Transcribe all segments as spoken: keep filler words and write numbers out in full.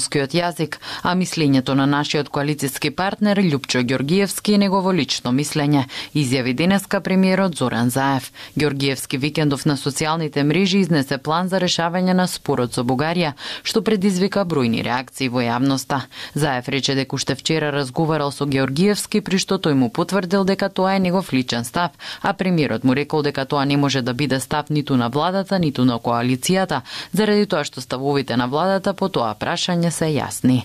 македонскиот јазик, а мислењето на нашиот коалициски партнер Љупчо Ѓоргиевски е негово лично мислење, изјави денеска премиерот Зоран Заев. Ѓоргиевски викендов на социјалните мрежи изнесе план за решавање на спорот со Бугарија, што предизвика бројни реакции во јавноста. Заев рече дека уште вчера разговарал со Ѓоргиевски, при што тој му потврдил дека тоа е негов личен став, а премиерот му рекол дека тоа не може да биде став ниту на владата, ниту на коалицијата, заради тоа што ставовите на владата по тоа прашање се јасни.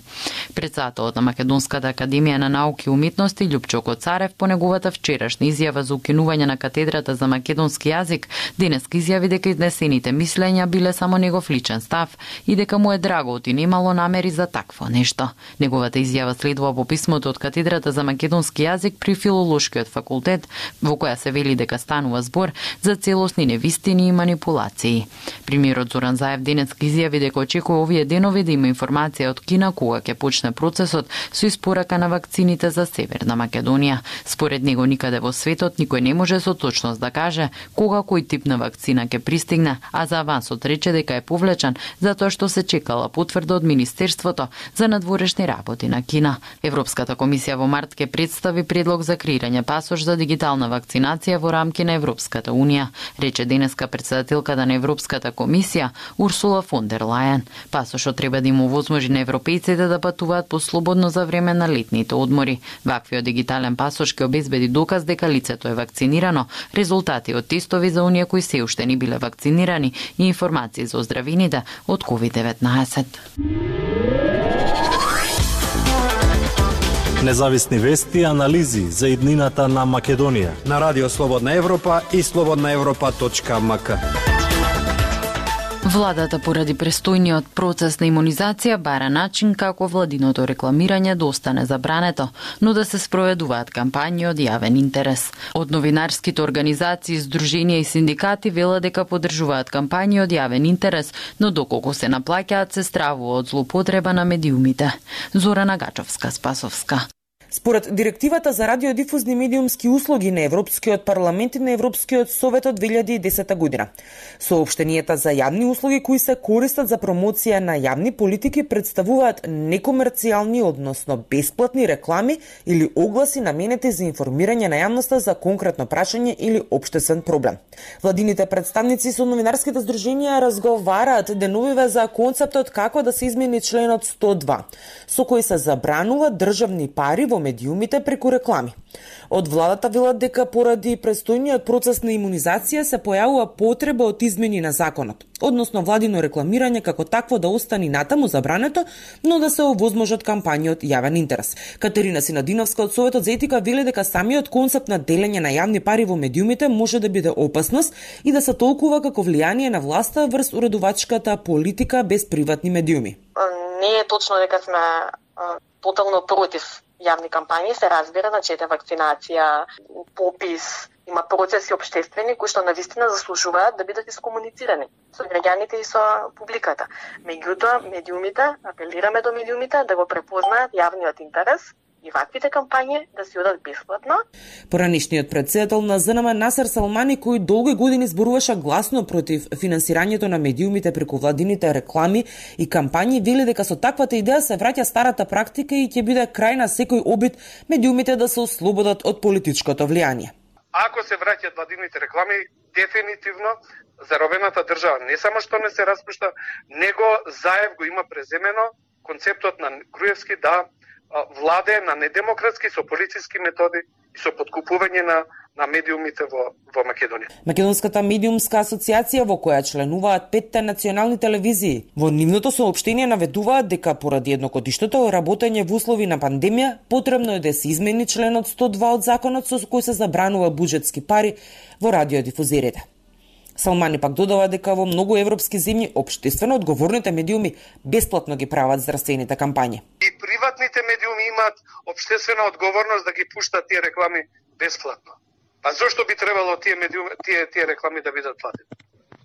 Претседателот на Македонската академија на науки и уметности Љупчо Коцарев по неговата вчерашна изјава за укинување на катедрата за македонски јазик денеска изјави дека изнесените мислења биле само негов личен став и дека му е драго и немало намери за такво нешто. Неговата изјава следува по писмото од катедрата за македонски јазик при Филолошкиот факултет, во која се вели дека станува збор за целосни невистини и манипулации. Премиерот Зоран Заев денеска изјави дека очекува овие денови да има информација од Кина кога ќе почне процесот со испорака на вакцините за Северна Македонија. Според него никаде во светот никој не може со точност да каже кога кој тип на вакцина ќе пристигне, а за авансот рече дека е повлечен затоа што се чекала потврда од Министерството за надворешни работи на Кина. Европската комисија во март ќе представи предлог за креирање пасош за дигитална вакцинација во рамки на Европската унија, рече денеска претседателката на Европската комисија Урсула фон дер Лајен. Пасошот треба да им овозможи на европејците да патуваат послободно за време на летните одмори. Ваквиот дигитален пасош ќе обезбеди доказ дека лицето е вакцинирано, резултати од тестови за оние кои се уште не биле вакцинирани и информации за оздравените од ковид деветнаесет. Независни вести и анализи за иднината на Македонија на Радио Слободна Европа и слободна европа точка ем ка. Владата поради престојниот процес на имунизација бара начин како владиното рекламирање да остане забрането, но да се спроведуваат кампањи од јавен интерес. Од новинарските организации, здруженија и синдикати велат дека поддржуваат кампањи од јавен интерес, но доколку се наплаќаат се стравува од злоупотреба на медиумите. Зорана Гачовска-Спасовска. Според Директивата за радиодифузни медиумски услуги на Европскиот парламент и на Европскиот совет од две илјади и десета година, соопштенијата за јавни услуги кои се користат за промоција на јавни политики представуваат некомерцијални, односно бесплатни реклами или огласи наменети за информирање на јавноста за конкретно прашање или општествен проблем. Владините представници со новинарските здруженија разговараат деновиве за концептот како да се измени членот сто два, со кој се забранува државни пари во медиумите преку реклами. Од владата велат дека поради престојниот процес на имунизација се појавува потреба од измени на законот, односно владино рекламирање како такво да остане натаму забрането, но да се овозможат кампањи од јавен интерес. Катерина Синадиновска од Советот за етика вели дека самиот концепт на делење на јавни пари во медиумите може да биде опасност и да се толкува како влијание на власта врз уредувачката политика без приватни медиуми. Не е точно дека сме тотално против јавни кампањи, се разбира, значи ете вакцинација, попис, има процеси општествени кои што навистина заслужуваат да бидат искомуницирани со граѓаните и со публиката. Меѓутоа, медиумите, апелираме до медиумите да го препознаат јавниот интерес и ваквите кампањи да се одат бесплатно. Поранишниот претседател на З Н М Насер Салмани, кој долги години зборуваше гласно против финансирањето на медиумите преку владините реклами и кампањи, вели дека со таквата идеја се враќа старата практика и ќе биде крај на секој обид медиумите да се ослободат од политичкото влијание. Ако се враќаат владините реклами, дефинитивно заробената држава не само што не се распушта, него Заев го има преземено концептот на Груевски да владе на недемократски со полициски методи и со подкупување на на медиумите во во Македонија. Македонската медиумска асоциација, во која членуваат петте национални телевизии, во нивното соопштение наведуваат дека поради едногодишното работење во услови на пандемија потребно е да се измени членот сто два од законот со кој се забранува буџетски пари во радиодифузерите. Салмани пак додава дека во многу европски земји општествено одговорните медиуми бесплатно ги прават здравствените кампањи. И приватните медиуми имаат општествена одговорност да ги пуштат тие реклами бесплатно. Па зошто би требало тие медиуми, тие тие реклами да бидат платени?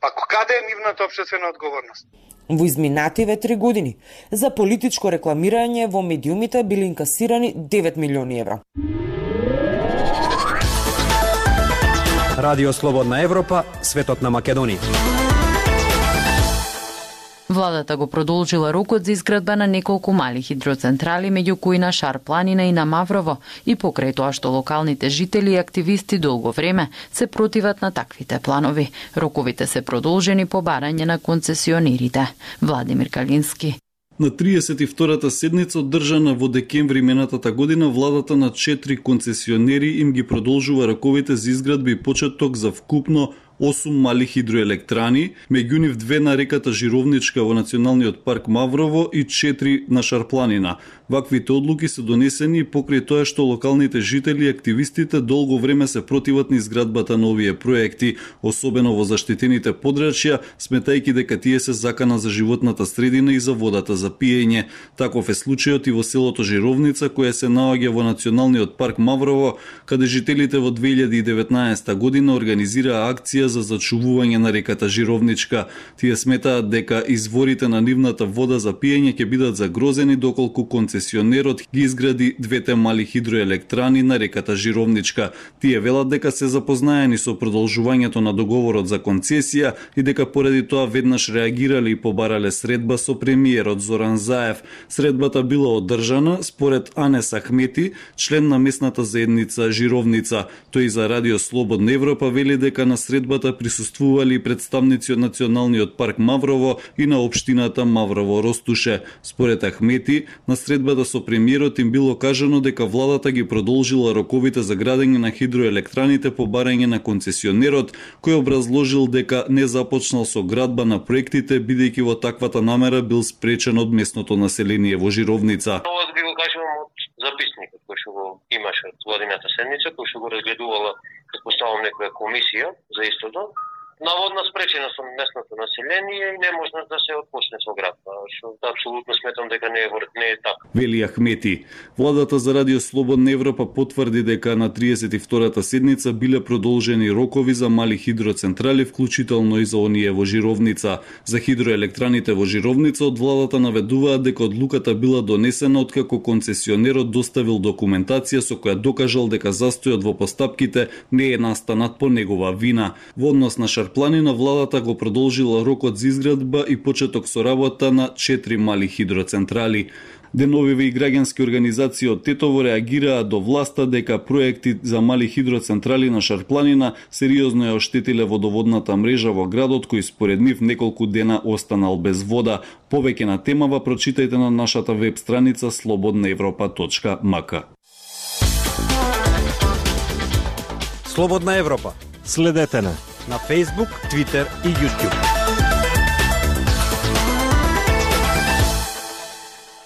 Па каде е нивната општествена одговорност? Во изминативе три години за политичко рекламирање во медиумите били инкасирани девет милиони евра. Радио Слободна Европа, светот на Македонија. Владата го продолжила рокот за изградба на неколку мали хидроцентрали, меѓу кои на Шар планина и на Маврово, и покрај тоа што локалните жители и активисти долго време се противат на таквите планови. Роковите се продолжени по барање на концесионерите. Владимир Калински. На триесет и втората седница одржана во декември минатата година, владата на четири концесионери им ги продолжува роковите за изградба и почеток за вкупно осум мали хидроелектрани, меѓу нив две на реката Жировничка во Националниот парк Маврово и четири на Шарпланина. Ваквите одлуки се донесени покрај тоа што локалните жители и активистите долго време се противат на изградбата на овие проекти, особено во заштитените подрачја, сметајќи дека тие се закана за животната средина и за водата за пиење. Таков е случајот и во селото Жировница, кое се наоѓа во Националниот парк Маврово, каде жителите во две илјади и деветнаесета година организираа акција за зачувување на реката Жировничка. Тие сметаат дека изворите на нивната вода за пиење ќе бидат загрозени доколку концесионерот ги изгради двете мали хидроелектрани на реката Жировничка. Тие велат дека се запознаени со продолжувањето на договорот за концесија и дека поради тоа веднаш реагирале и побарале средба со премиерот Зоран Заев. Средбата била одржана според Анес Ахмети, член на местната заедница Жировница. Тој за Радио Слободна Европа вели дека на средбата присуствували представници од Националниот парк Маврово и на општината Маврово Ростуше. Според Ахмети, на средбата со премиерот им било кажано дека владата ги продолжила роковите за градење на хидроелектраните по барање на концесионерот, кој образложил дека не започнал со градба на проектите, бидејќи во таквата намера бил спречен од местното население во Жировница. Ова би го кажувам од записникот кој што го имаше од владината седница, кој што го разгледувала, предпоставам, некоја комисија за истото. Наводна спречена со местното население и не можна да се отпочне со градба, што апсолутно сметам дека не е не е така. Вели Ахмети. Владата за Радио Слободна Европа потврди дека на триесет и втората седница биле продолжени рокови за мали хидроцентрали, вклучително и за оние во Жировница. За хидроелектраните во Жировница од владата наведуваат дека одлуката била донесена откако концесионерот доставил документација со која докажал дека застојот во постапките не е настанат по негова вина. Во однос на Шарпланина, владата го продолжила рокот за изградба и почеток со работа на четири мали хидроцентрали. Деновиве и граѓански организации од Тетово реагираа до власта дека проекти за мали хидроцентрали на Шарпланина сериозно ја оштетиле водоводната мрежа во градот, кој според нив неколку дена останал без вода. Повеќе на темава прочитајте на нашата веб страница слободна европа точка м к. Слободна Европа. Следете на на Facebook, Twitter и YouTube.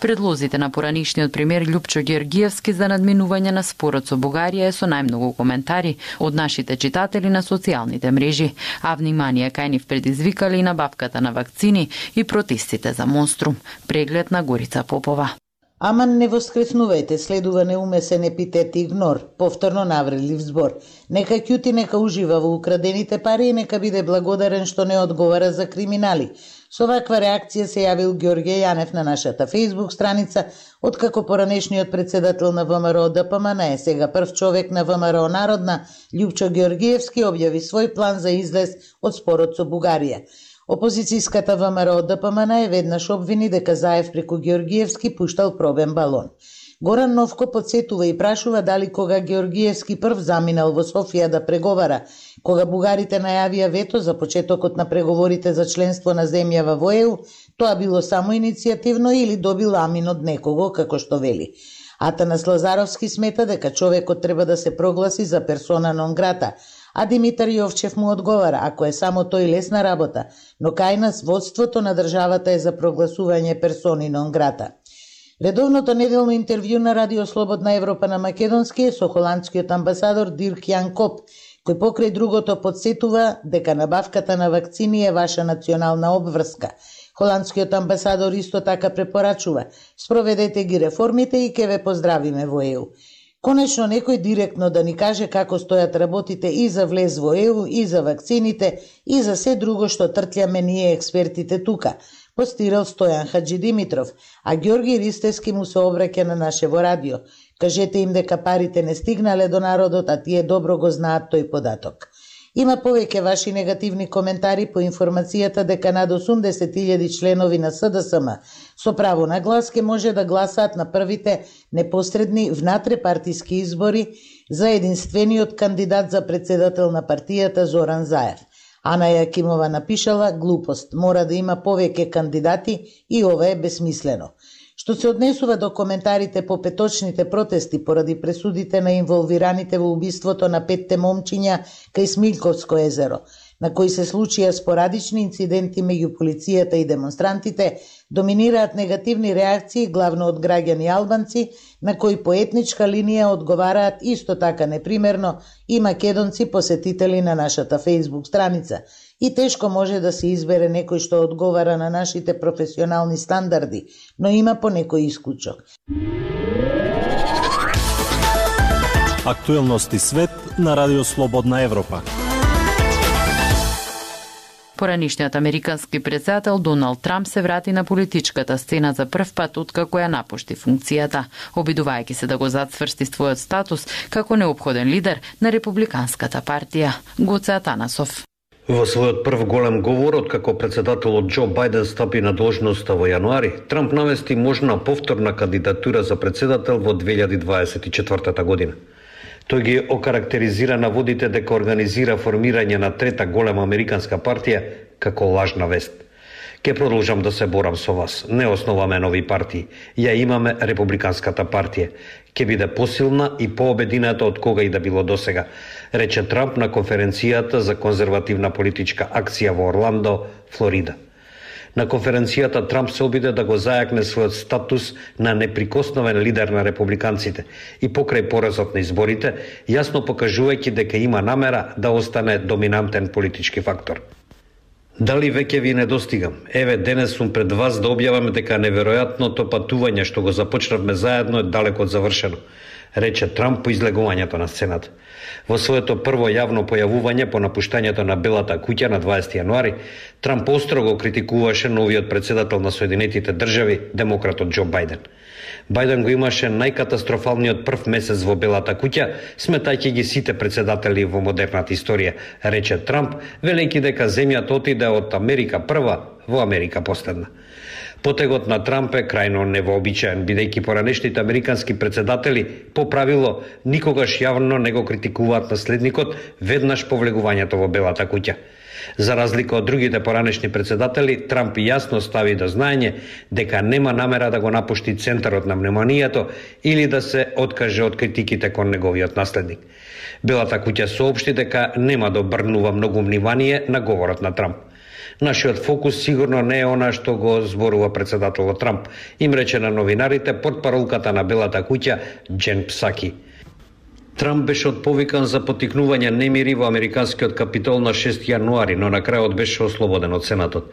Предлозите на поранишниот премиер Љупчо Ѓорѓиевски за надминување на спорот со Бугарија е со најмногу коментари од нашите читатели на социјалните мрежи, а внимание кај нив предизвикале и набавката на вакцини и протестите за Монструм. Преглед на Горица Попова. Аман не воскреснувајте, следува неумесен епитет игнор, повторно навредлив збор. Нека ќути, нека ужива во украдените пари и нека биде благодарен што не одговара за криминали. Со ваква реакција се јавил Ѓорѓе Јанев на нашата Facebook страница, откако поранешниот председател на ВМРО ДПМН е сега прв човек на ВМРО Народна, Љупчо Ѓорѓиевски објави свој план за излез од спорот со Бугарија. Опозицијската ВМРО ДПМН е веднаш обвини дека Заев преку Ѓорѓиевски пуштал пробен балон. Горан Новко подсетува и прашува дали кога Ѓорѓиевски прв заминал во Софија да преговара, кога бугарите најавија вето за почетокот на преговорите за членство на земјава во Е У, тоа било само иницијативно или добил амин од некого, како што вели. Атанас Лазаровски смета дека човекот треба да се прогласи за персона нон грата, а Димитар Јовчев му одговара, ако е само тој лесна работа, но кај нас водството на државата е за прогласување персони нон грата. Редовното неделно интервју на Радио Слободна Европа на македонски е со холандскиот амбасадор Дирк Јан Коп, кој покрај другото подсетува дека набавката на вакцини е ваша национална обврска. Холандскиот амбасадор исто така препорачува: спроведете ги реформите и ќе ве поздравиме во Е У. Конечно некој директно да ни каже како стојат работите и за влез во Е У, и за вакцините, и за се друго што тртљаме ние експертите тука, постирал Стојан Хаджи Димитров, а Ѓорги Ристевски му се обраќа на нашево радио. Кажете им дека парите не стигнале до народот, а тие добро го знаат тој податок. Има повеќе ваши негативни коментари по информацијата дека над осумдесет илјади членови на С Д С М со право на глас ке може да гласаат на првите непосредни внатрепартиски избори за единствениот кандидат за председател на партијата Зоран Заев. Ана Јакимова напишала: глупост, мора да има повеќе кандидати и ова е безсмислено. Што се однесува до коментарите по петочните протести поради пресудите на инволвираните во убиството на петте момчиња кај Смилковско езеро, на кои се случија спорадични инциденти меѓу полицијата и демонстрантите, доминираат негативни реакции главно од граѓани албанци, на кои по етничка линија одговараат исто така непримерно и македонци посетители на нашата Facebook страница. И тешко може да се избере некој што одговара на нашите професионални стандарди, но има по некој исклучок. Актуелности свет на Радио Слободна Европа. Поранишниот американски претседател Доналд Трамп се врати на политичката сцена за прв пат откако ја напушти функцијата, обидувајќи се да го зацврсти својот статус како неопходен лидер на републиканската партија. Гоце Атанасов. Во својот прв голем говор, откако председателот Џо Бајден стапи на должноста во јануари, Трамп навести можна повторна кандидатура за председател во две илјади дваесет и четвртата година. Тој ги окарактеризира наводите дека организира формирање на трета голема американска партија како лажна вест. Ке продолжам да се борам со вас. Не основаме нови партии. Ја имаме републиканската партија. Ке биде посилна и пообедината од кога и да било досега, рече Трамп на конференцијата за конзервативна политичка акција во Орландо, Флорида. На конференцијата Трамп се обиде да го зајакне својот статус на неприкосновен лидер на републиканците и покрај поразот на изборите, јасно покажувајќи дека има намера да остане доминантен политички фактор. Дали веќе ви недостигам? Еве, денес сум пред вас да објавам дека неверојатното патување што го започнавме заедно е далеко од завршено, рече Трамп по излегувањето на сцената. Во своето прво јавно појавување по напуштањето на Белата куќа на дваесети јануари, Трамп остро го критикуваше новиот председател на Соединетите држави, демократот Џо Бајден. Бајден го имаше најкатастрофалниот прв месец во Белата куќа, сметајќи ги сите председатели во модерната историја, рече Трамп, велејќи дека земјата отиде од Америка прва во Америка последна. Потегот на Трамп е крајно невообичаен, бидејќи поранешните американски председатели по правило никогаш јавно не го критикуваат наследникот веднаш по влегувањето во Белата куќа. За разлика од другите поранешни председатели, Трамп јасно стави до знаење дека нема намера да го напушти центарот на вниманието или да се откаже од критиките кон неговиот наследник. Белата куќа соопшти дека нема да обрнува многу внимание на говорот на Трамп. Нашиот фокус сигурно не е она што го зборува председателот Трамп, им рече на новинарите портпаролката на Белата куќа Џен Псаки. Трамп беше отповикан за поттикнување немири во американскиот капитол на шести јануари, но на крајот беше ослободен од Сенатот.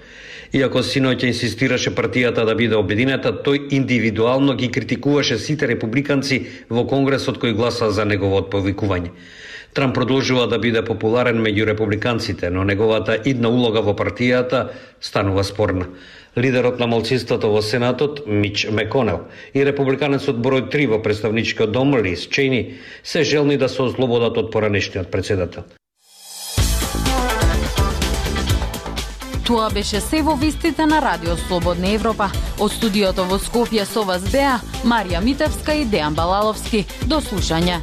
Иако синоќа инсистираше партијата да биде обединета, тој индивидуално ги критикуваше сите републиканци во Конгресот кои гласаа за негово отповикување. Трамп продолжува да биде популарен меѓу републиканците, но неговата идна улога во партијата станува спорна. Лидерот на малцинството во Сенатот, Мич Меконел, и републиканецот број три во представничкиот дом, Лиз Чейни, се желни да се ослободат од поранешниот председател. Тоа беше се во вестите на Радио Слободна Европа. Од студиото во Скопје со вас беа Марија Митевска и Дејан Балаловски. До слушање.